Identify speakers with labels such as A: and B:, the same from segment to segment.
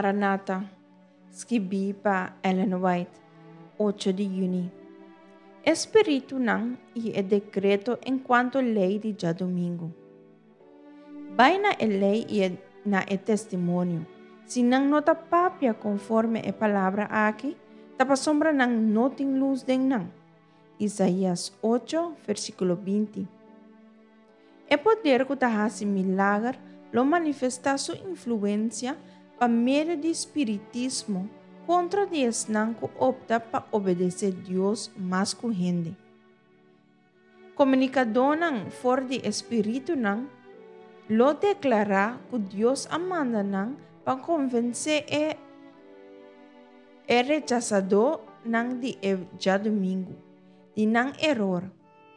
A: Maranata, skibí pa Ellen White, 8 di yüni. E spiritunan i e dekreto enkuanto lei di djadumingu. Bai na e lei i e na e testimonio. Si nan no ta papia konforme e palabra aki, ta pasobra nan no tin lus den nan. Isaías 8, versíkulo 20. E poder ku ta hasi milager lo manifestá su influensia pa medio di spiritismo kontra di esnan ku opta pa obedesé Dios mas ku hende. Komunikadónan for di e spiritunan lo deklará ku Dios a manda nan pa konvensé e e rechasadónan di e djadumingu di nan eror,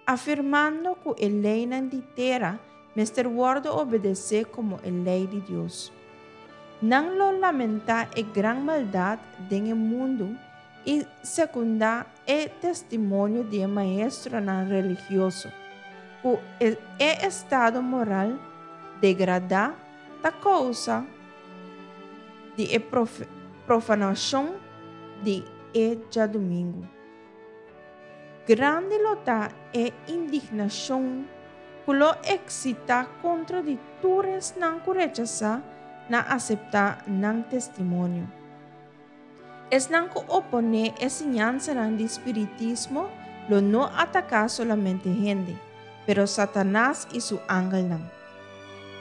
A: afirmando ku e leinan di tera mester wòrdu obedesé komo e lei di Dios. Nan lo lamentá e gran maldat den e mundu i sekundá e testimonio di e maestronan religioso ku e estado moral degradá ta kousa di e profanashon di e djadumingu. Grandi lo ta e indignashon ku lo eksitá kontra di tur esnan ku rechasá na aseptá nan testimonio. Esnan ku oponé e siñansanan di spiritismo lo no ataká solamente hende, pero Satanas i su angelnan.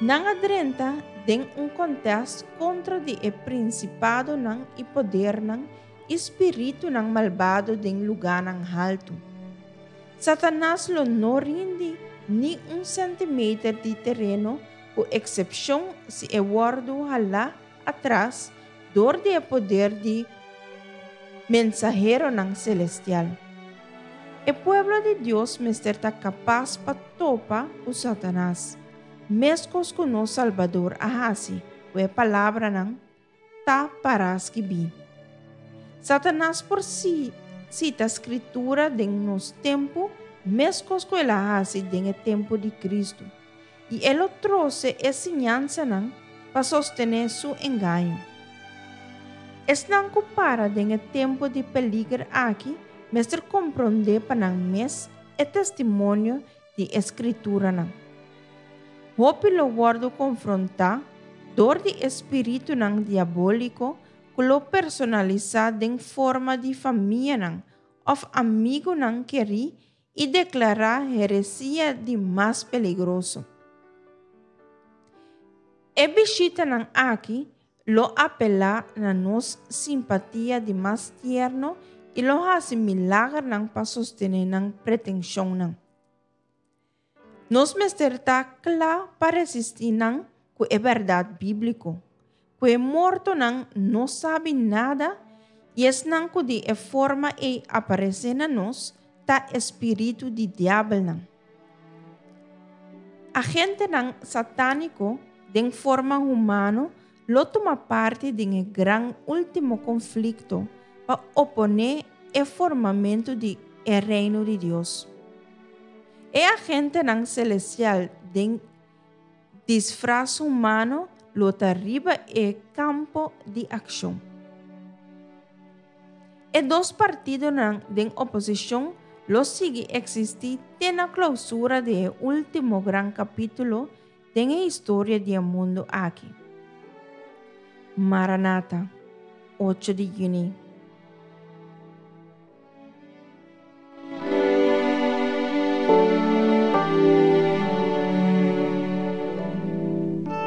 A: Nan a drenta den un kontèst kontra di e prinsipadonan i podernan i spiritunan malbado den lugánan haltu. Satanas lo no rindi ni un sèntimeter di tereno ku eksepshon si e wòrdu halá atras dor di e poder di mensaheronan selestial. E pueblo di Dios mester ta kapas pa topa ku Satanas, meskos ku nos Salbador a hasi ku e palabranan ta pará skibí. Satanas por sita Skritura den nos tempu meskos ku el a hasi den e tempu di Kristu. I e lo trose e siñansanan pa sostené su engaño. Esnan ku para den e tempu di peliger aki mester komprondé pa nan mes e testimonio di e Skrituranan. Hopi lo wòrdu konfrontá dor di e spiritunan diabóliko ku lo personalisá den forma di famianan òf amigunan kerí i deklará heresia di mas peligroso. E bishitanan aki lo apelá na nos simpatia di mas tierno i lo hasi milagernan pa sostené nan pretenshonnan. Nos mester ta kla pa resistí nan ku e bèrdat bíbliko, ku e mortonan no sabi nada i esnan ku di e forma ei aparesé na nos ta e spiritu di diabelnan. Agentenan satániko den forma humano lo tuma parti den e gran último konflikto pa oponé e formamentu di e Reino di Dios. E agentenan selestial den disfras humano lo ta riba e kampo di akshon. E dos partidonan den oposishon lo sigui eksistí te na klousura di e último gran kapítulo den e historia di e mundu aki. Maranata, 8 di yüni.